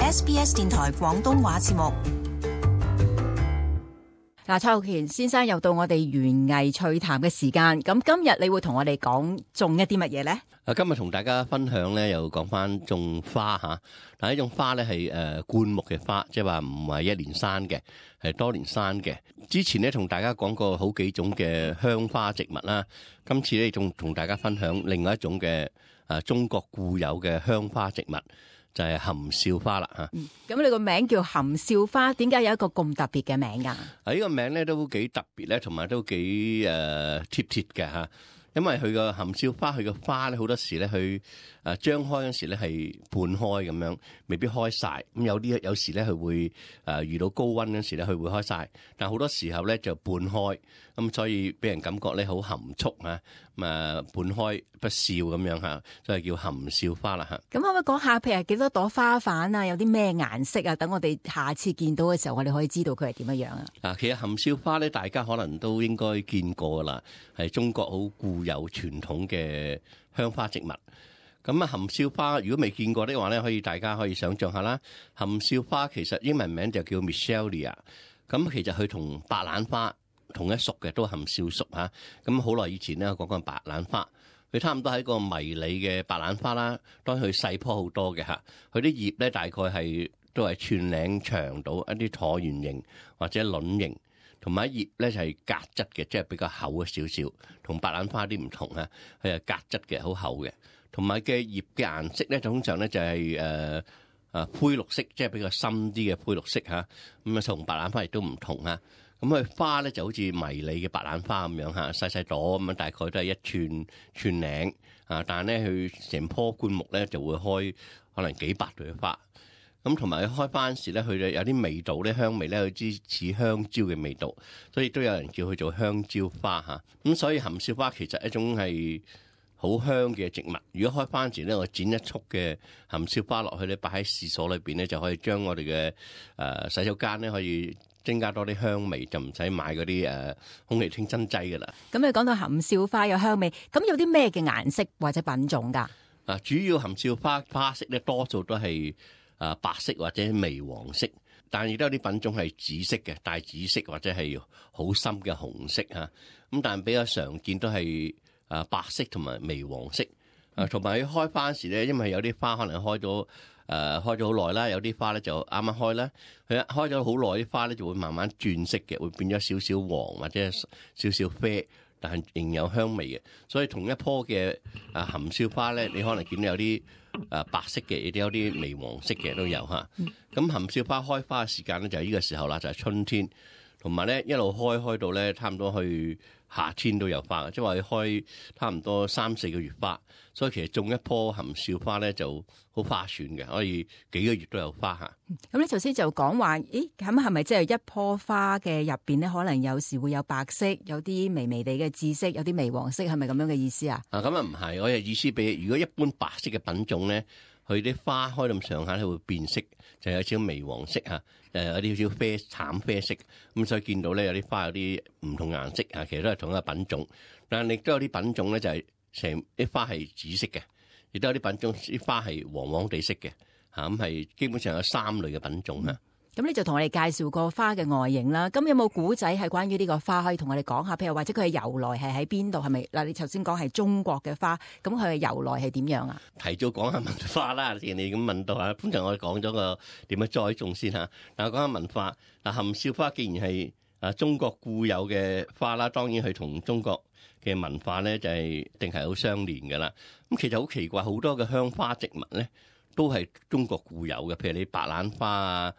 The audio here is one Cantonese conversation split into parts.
SBS 電台廣東話節目。嗱，蔡浩權先生又到我哋園藝趣談嘅時間，咁今日你會同我哋講種一啲乜嘢咧？今日同大家分享咧，又講翻種花嚇。但係呢種花咧係灌木嘅花，即係話唔係一年生嘅，係多年生嘅。之前咧同大家講過好幾種嘅香花植物啦，今次咧仲同大家分享另外一種嘅中國固有嘅香花植物，就係含笑花啦嚇。咁你個名叫含笑花，點解有一個咁特別嘅名㗎？呢個名咧都幾特別咧，同埋都幾貼嘅嚇。因為佢個含笑花，佢個花咧好多時咧，佢張開嗰時咧係半開咁樣，未必開晒。咁有時咧佢會遇到高溫嗰時咧，佢會開晒。但好多時候咧就半開，咁所以俾人感覺咧好含蓄啊，半開不笑咁樣嚇，所以叫含笑花啦嚇。咁可唔可以講下，譬如幾多朵花瓣啊？有啲咩顏色啊？等我哋下次見到嘅時候，我哋可以知道佢係點樣啊？其實含笑花咧，大家可能都應該見過啦，係中國好固有傳統嘅香花植物。咁含笑花如果未見過的話咧，大家可以想象下啦。含笑花其實英文名就叫 Michelia， 咁其實佢同白蘭花同一屬嘅，都含笑屬嚇。咁好耐以前咧講過白蘭花，佢差唔多係一個迷你嘅白蘭花啦，當然佢細棵好多嘅嚇。佢啲葉咧大概都係寸零長到一啲橢圓形或者卵形。同埋葉咧就係格質嘅，即係比較厚少少，同白蘭花啲唔同啊，佢係格質嘅，好厚嘅。同埋嘅葉嘅顏色咧，通常咧就係灰綠色，即係比較深啲嘅灰綠色嚇。咁啊，同白蘭花亦都唔同啊。咁佢花咧就好似迷你嘅白蘭花咁樣嚇，細細朵咁樣，大概都係一寸零啊。但係咧，佢成棵灌木咧就會開可能幾百朵花。咁同埋佢開花時咧，佢有啲味道咧，香味咧，佢似香蕉嘅味道，所以都有人叫佢做香蕉花嚇。咁所以含笑花其實一種係好香嘅植物。如果開花時咧，我剪一束嘅含笑花落去咧，擺喺廁所裏邊咧，就可以將我哋嘅洗手間咧可以增加多啲香味，就唔使買嗰啲空氣清新劑噶啦。咁你講到含笑花有香味，咁有啲咩嘅顏色或者品種㗎？主要含笑花花色咧，多數都係白色或者微黃色，但亦都有啲品種係紫色嘅，帶紫色或者係好深嘅紅色嚇。咁但係比較常見都係白色同埋微黃色。同埋佢開花時咧，因為有啲花可能開咗好耐啦，有啲花咧就啱啱開啦。佢開咗好耐，啲花咧就會慢慢轉色嘅，會變咗少少黃或者少少啡，但係仍有香味嘅。所以同一棵嘅含笑花咧，你可能見到有啲白色嘅，亦都有啲微黃色嘅都有嚇。咁含笑花開花嘅時間咧就係呢個時候啦，就係春天，同埋咧一路開到咧差唔多去夏天都有花，即係話佢開差唔多3-4個月花。所以其實種一棵含笑花咧就好划算嘅，可以幾個月都有花嚇。咁你頭先就講話，咁係咪即係一棵花嘅入邊咧，可能有時會有白色，有啲微微地嘅紫色，有啲微黃色，係咪咁樣嘅意思啊？咁啊唔係，我嘅意思比如果一般白色嘅品種咧，佢啲花開咁上下咧會變色，就有少少微黃色嚇，有啲少少慘啡色。咁所以見到咧有啲花有啲唔同顏色嚇，其實都係同一個品種，但係亦都有啲品種咧就係成啲花係紫色嘅，亦都有啲品種啲花係黃黃地色嘅嚇，咁係基本上有3類嘅品種嚇。咁你就同我哋介紹個花嘅外形啦。咁有冇古仔係關於呢個花可以同我哋講下？譬如或者佢嘅由來係喺邊度？係咪嗱？你頭先講係中國嘅花，咁佢嘅由來係點樣啊？提早講下文化啦，既然你咁問到啊，通常我哋講咗個點樣栽種先嚇。嗱，講下文化。嗱，含笑花既然係中國固有嘅花啦，當然佢同中國嘅文化咧就係定係好相連㗎啦。咁其實好奇怪，好多嘅香花植物咧都係中國固有嘅，譬如你白蘭花啊。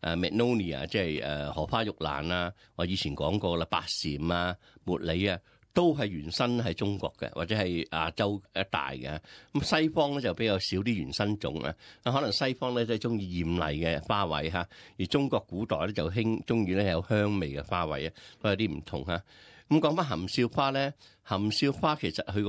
Magnolia 即係荷花玉蘭啊，我以前講過啦，白蟬啊、茉莉啊，都係原生喺中國嘅，或者係亞洲一帶嘅。咁西方咧就比較少啲原生種啊，可能西方咧都係中意豔麗嘅花卉嚇，而中國古代咧就中意咧有香味嘅花卉啊，都有啲唔同嚇。咁講翻含笑花咧，含笑花其實佢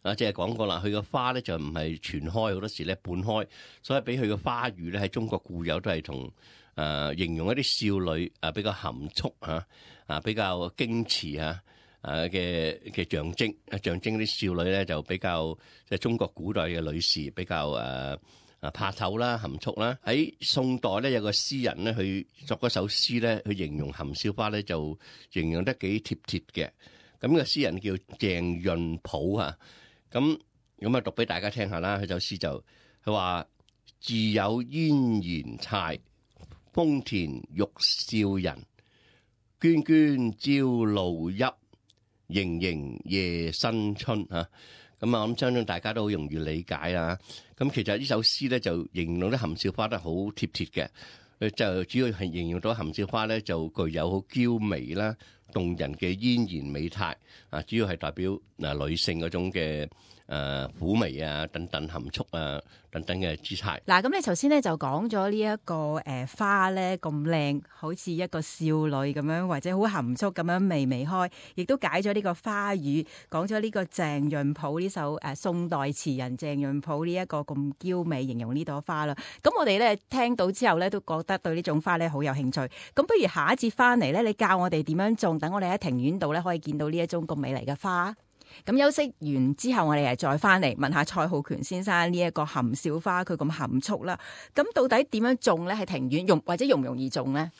個即係講過啦，佢個花咧就唔係全開，好多時咧半開，所以俾佢個花語咧喺中國固有都係同形容一啲少女比較含蓄比較矜持嘅象徵啲少女咧就比較即係中國古代嘅女士比較怕醜啦、含蓄啦。喺宋代咧有個詩人咧，佢作嗰首詩咧，佢形容含笑花咧就形容得幾貼切嘅。咁個詩人叫鄭潤甫啊，咁啊讀俾大家聽下啦。佢首詩就佢話：自有燕然蠶，豐田欲笑人。涓涓朝露泣，盈盈夜新春啊！咁啊，我諗相信大家都好容易理解啦。咁其實呢首詩咧就形容啲含笑花得好貼切嘅，就主要係形容到含笑花咧就具有好嬌媚啦、動人嘅嫣然美態啊，主要係代表女性嗰種嘅嫵媚啊、等等含蓄啊等等嘅姿態。嗱，咁你頭先咧就講咗呢一個花咧咁靚，好似一個少女咁樣，或者好含蓄咁樣微微開，亦都解咗呢個花語，講咗呢個鄭潤甫呢首宋代詞人鄭潤甫呢一個咁嬌美形容呢朵花啦。咁我哋咧聽到之後咧都覺得對呢種花咧好有興趣。咁不如下一節翻嚟咧，你教我哋點樣種，等我哋喺庭院度咧可以見到呢一種咁美麗嘅花。咁休息完之後，我哋再翻嚟問下蔡浩權先生呢一個含笑花佢咁含蓄啦。咁到底點樣種咧？喺庭院或者容唔容易種咧？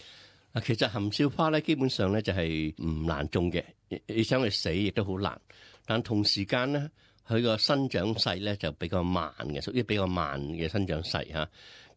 其實含笑花咧基本上咧就係唔難種嘅，你想佢死亦都好難。但同時間咧，佢個生長勢咧就比較慢嘅，屬於比較慢嘅生長勢嚇。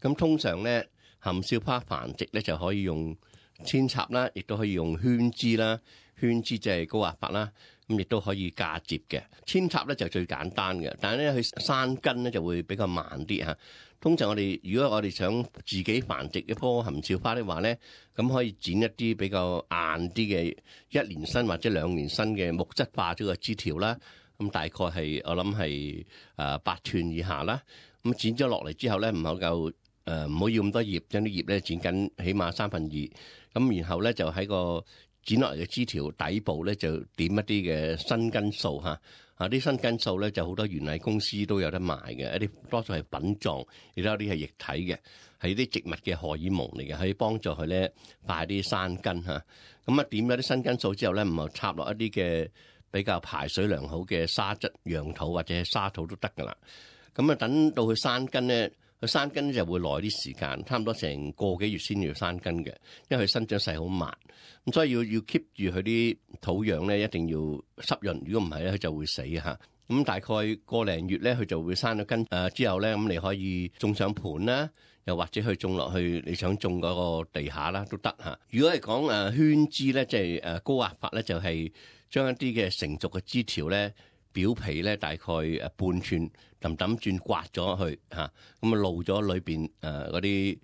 咁通常咧含笑花繁殖咧就可以用扦插啦，亦都可以用圈枝啦。圈枝即係高壓法啦。咁亦都可以嫁接嘅，扦插咧就最簡單嘅，但係咧佢生根咧就會比較慢啲嚇。通常如果我哋想自己繁殖一棵含笑花的話咧，咁可以剪一啲比較硬啲嘅1年生或者2年生嘅木質化咗嘅枝條啦。咁大概係我諗係8寸以下啦。咁剪咗落嚟之後咧，唔好要咁多葉，將啲葉咧剪緊起碼2/3。咁然後咧就喺個剪落嚟嘅枝條底部咧就點一啲嘅生根素嚇，啲生根素咧就好多園藝公司都有得賣嘅，一啲多數係粉狀，亦都有啲係液體嘅，係啲植物嘅荷爾蒙嚟嘅，可以幫助佢咧快啲生根嚇。咁點咗啲生根素之後咧，唔係插落一啲嘅比較排水良好嘅沙質養土或者沙土都得噶啦。咁等到佢生根咧。佢生根就會耐啲時間，差唔多成個幾月先要生根嘅，因為佢生長勢好慢，咁所以要 keep 住佢啲土壤咧，一定要濕潤。如果唔係咧，佢就會死嚇。咁大概個零月咧，佢就會生咗根之後咧，咁你可以種上盤啦，又或者去種落去你想種嗰個地下啦都得嚇。如果係講圈枝咧，即係高壓法咧，就係將一啲嘅成熟嘅枝條咧。表皮咧大概半寸揼轉刮咗去嚇，咁露咗裏邊嗰啲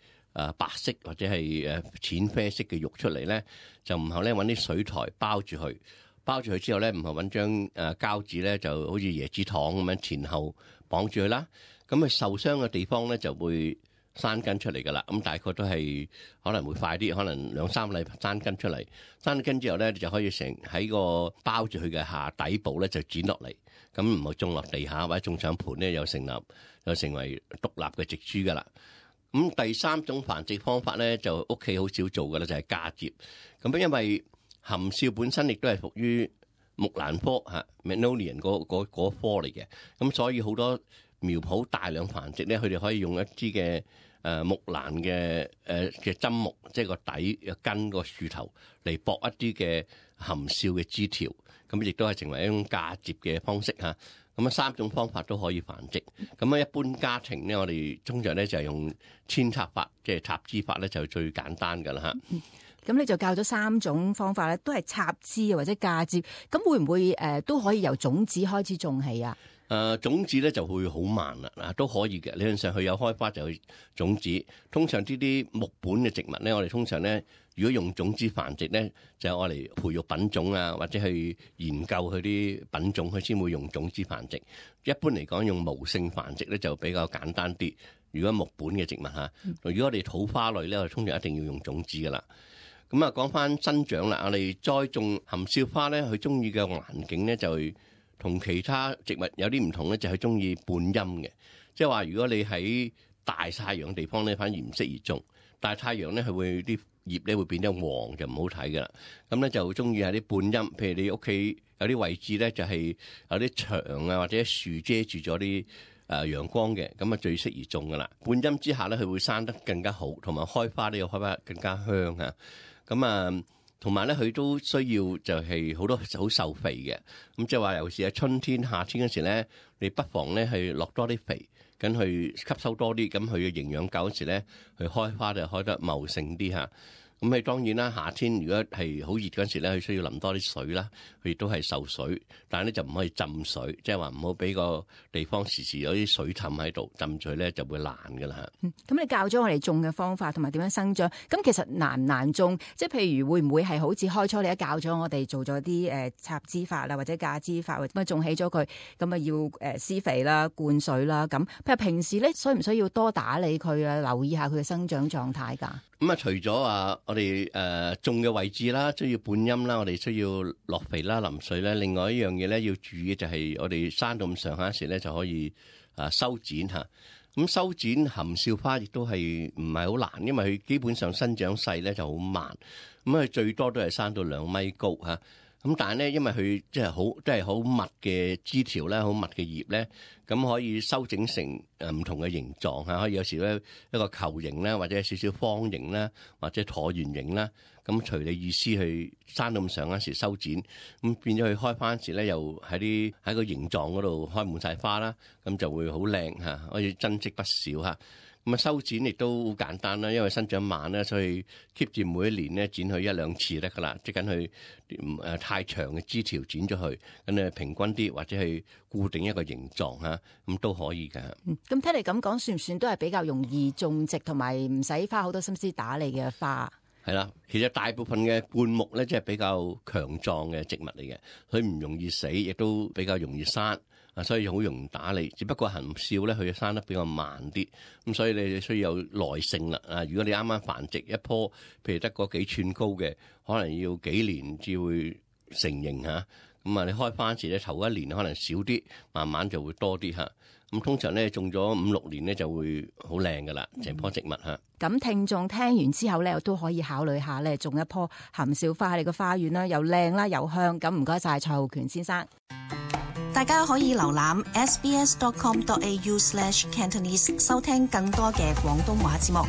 白色或者係淺啡色嘅肉出嚟咧，就唔後咧揾啲水苔包住佢，包住佢之後咧，唔後揾張膠紙咧，就好似椰子糖咁樣前後綁住佢啦。咁佢受傷嘅地方咧就會生根出嚟噶啦。咁大概都係可能會快啲，可能2-3個禮拜生根出嚟。生根之後咧，就可以喺個包住佢嘅下底部咧就剪落嚟。咁唔好種落地下或者種上盤咧，又成為獨立嘅植株噶啦。咁第3種繁殖方法咧，就屋企好少做噶啦，就係嫁接。咁因為含笑本身亦都係屬於木蘭科Magnolian 嗰科嚟嘅，咁所以好多苗圃大量繁殖咧，佢哋可以用一啲嘅木蘭嘅針木，即係個底根個樹頭嚟駁一啲嘅含笑嘅枝條。咁亦都係成為一種嫁接嘅方式嚇。咁3種方法都可以繁殖。咁一般家庭咧，我哋通常咧就係用扦插法，即係插枝法咧，就最簡單噶啦嚇。咁你就教咗3種方法咧，都係插枝或者嫁接。咁會唔會都可以由種子開始種起啊？種子咧就會好慢啦，都可以嘅。理論上佢有開花就去種子。通常呢啲木本嘅植物咧，我哋通常咧，如果用種子繁殖咧，就係我嚟培育品種啊，或者去研究佢啲品種，佢先會用種子繁殖。一般嚟講，用無性繁殖咧就比較簡單啲。如果木本嘅植物嚇，如果我哋土花類咧，我哋通常一定要用種子噶啦。咁講翻生長啦，我哋栽種含笑花咧，佢中意嘅環境咧就同其他植物有啲唔同咧，就係中意半陰嘅。即係話，如果你喺大太陽嘅地方咧，反而唔適宜種。大太陽咧，佢會啲葉咧會變得黃，就唔好睇噶啦。咁咧就中意喺啲半陰，譬如你屋企有啲位置咧，就係有啲牆啊或者樹遮住咗啲陽光嘅，咁啊最適宜種噶啦。半陰之下咧，佢會生得更加好，同埋開花呢個開花更加香啊。咁啊，同埋咧佢都需要就係好多好受肥嘅。咁即係話，尤其是喺春天、夏天嗰時咧，你不妨咧去落多啲肥，咁去吸收多啲，咁佢嘅營養夠嗰時咧，佢開花就開得茂盛啲嚇。咁佢當然啦，夏天如果係好熱嗰陣時咧，佢需要淋多啲水啦，佢亦都係受水，但係咧就唔可以浸水，即係話唔好俾個地方時時有啲水氹喺度，浸水咧就會爛㗎啦。咁你教咗我哋種嘅方法同埋點樣生長，咁其實難唔難種？即係譬如會唔會係好似開初你一教咗我哋做咗啲插枝法啦，或者架枝法，或者種起咗佢，咁啊要施肥啦、灌水啦，咁譬如平時咧需唔需要多打理佢啊，留意下佢嘅生長狀態㗎？咁啊，除咗話我哋種嘅位置啦，需要半陰啦，我哋需要落肥啦、淋水啦。另外一樣嘢咧要注意就係我哋生到咁上下時咧就可以修剪嚇。咁修剪含笑花亦都係唔係好難，因為佢基本上生長勢咧就好慢。咁佢最多都係生到2米高嚇。咁但係咧，因為佢即係好密嘅枝條咧，好密嘅葉咧，咁可以修整成唔同嘅形狀嚇，可以有時咧一個球形啦，或者少少方形啦，或者橢圓形啦。咁隨你意思去生到咁上嗰時修剪，咁變咗佢開翻時咧，又喺個形狀嗰度開滿晒花啦，咁就會好靚嚇，可以增值不少嚇。咁啊修剪亦都好簡單啦，因為生長慢咧，所以 keep 住每一年咧剪佢1-2次得噶啦，即緊佢太長嘅枝條剪咗佢，咁你平均啲或者係固定一個形狀嚇，咁都可以嘅。咁聽你咁講，算唔算都係比較容易種植同埋唔使花好多心思打理嘅花？係啦，其實大部分嘅灌木咧，即係比較強壯嘅植物嚟嘅，佢唔容易死，亦都比較容易生。所以好容易打理，只不過含笑咧，佢生得比較慢啲，咁所以你需要有耐性啦。如果你啱啱繁殖一棵，譬如得個幾寸高嘅，可能要幾年至會成形嚇。咁你開花時咧，頭1年可能少啲，慢慢就會多啲嚇。咁通常咧種咗5-6年咧就會好靚噶啦，成棵植物嚇。咁聽眾聽完之後咧，都可以考慮下咧，種一棵含笑花喺你個花園啦，又靚啦又香。咁唔該晒蔡浩權先生。大家可以瀏覽 sbs.com.au/Cantonese 收聽更多嘅廣東話節目。